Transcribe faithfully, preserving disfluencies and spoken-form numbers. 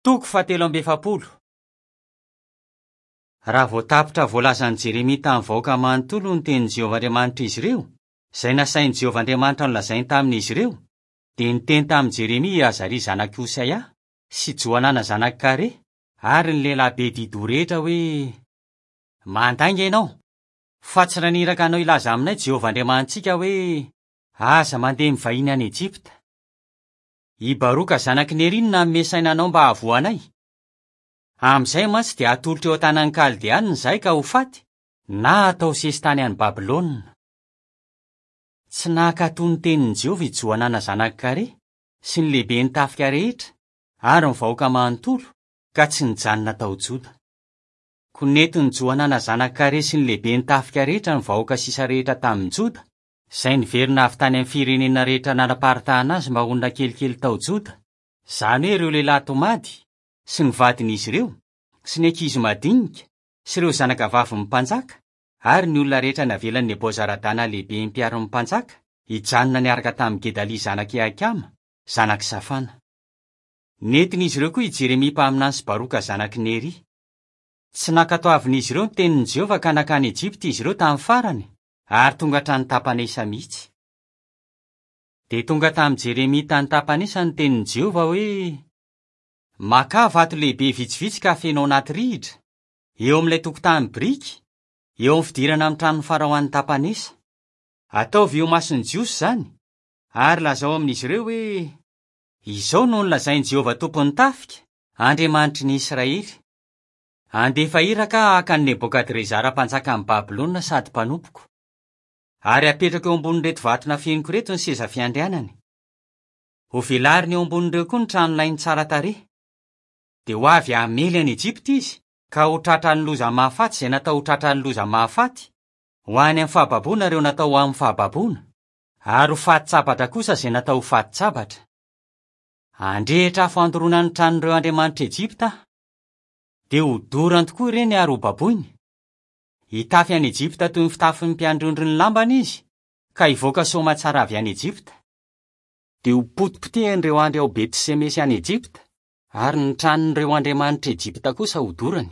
Toko fahatelo amby efapolo. Raha vao tapitra voalazan'i Jeremia tamin'ny vahoaka manontolo ny tenin'i Jehovah Andriamanitr'izy ireo, izay nasain'i Jehovah Andriamanitra nolazainy tamin'izy ireo, dia niteny tamin'i Jeremia i Azaria zanak'i Hosaia sy Johanana zanak'i Kare ary ny lehilahy be dido rehetra hoe: "Mandainga ianao, fa tsy naniraka anao hilaza aminay Jehovah Andriamanitsika hoe: Aza mandeha mivahiny any Ejipta. I Baroka zanak'i Neria no nanome saina anao mba hahavoa anay. Amin'izay mantsy dia hatolotra eo an-tanan'ny Kaldeanina izahay ka ho faty na hatao sesitany any Babylona." Tsy nankatò ny tenin'i Jehovah i Johanana zanak'i Kare sy ny lehiben'ny tafika rehetra ary ny vahoaka manontolo ka tsy nijanona tao Joda. Koa nentin'i Johanana zanak'i Kare sy ny lehiben'ny tafika rehetra ny vahoaka sisa rehetra tamin'i Joda, izay niverina avy tany amin'ny firenena rehetra nanaparitahana azy mba honina kelikely tao Joda, izany hoe ireo lehilahy tomady sy ny vadin'izy ireo sy ny ankizy madinika sy ireo zanakavavin'ny mpanjaka ary ny olona rehetra navelan'i Nebozaradana lehibe mpiaron'ny mpanjaka hijanona niaraka tamin'i Gedalia zanak'i Ahikama, zanak'i Safana. Nentin'izy ireo koa i Jeremia mpaminany sy Baroka zanak'i Neria. Tsy nankatoavin'izy ireo ny tenin'i Jehovah ka nankany Ejipta izy ireo tamin'ny farany ary tonga hatrany Tapanesa mihitsy. Dia tonga tamin'i Jeremia tany Tapanesa ny tenin'i Jehovah hoe: "Makà vato lehibe vitsivitsy ka afeno ao anaty rihitra, eo amin'ilay tokotany biriky, eo amin'ny fidirana amin'ny tranon'ny Farao any Tapanesa. Ataovy eo imason'ny Jiosy izany, ary lazao amin'izy ireo hoe: Izao no nolazain'i Jehovah tompon'ny tafika, Andriamanitry ny Israely. Handefa iraka aho haka an'i Nebokadrezara mpanjakan'i Babylona sady mpanompoko. Ary hapetrako eo ambonin'ireto vato nafeniko ireto ny seza fiandrianany. Hovelariny eo ambonin'ireo koa ny tranolainy tsara tarehy. Dia ho avy hamely an'i Ejipta izy, ka ho tratran'ny loza mahafaty izay natao ho tratran'ny loza mahafaty, ho any amin'ny fahababoana ireo natao ho amin'ny fahababoana, ary ho faty-tsabatra kosa izay natao ho faty-tsabatra. Handrehitra afo handoroana ny tranon'ireo andriamanitr'i Ejipta aho. Dia hodorany tokoa ireny ary hobaboiny. Hitafy an'i Ejipta toy ny fitafin'ny mpiandry ondry ny lambany izy, ka hivoaka soamantsara avy any Ejipta. Dia ho potipotehan'ireo andry ao Beti-Semesy any Ejipta, ary ny tranon'ireo andriamanitr'i Ejipta kosa hodorany.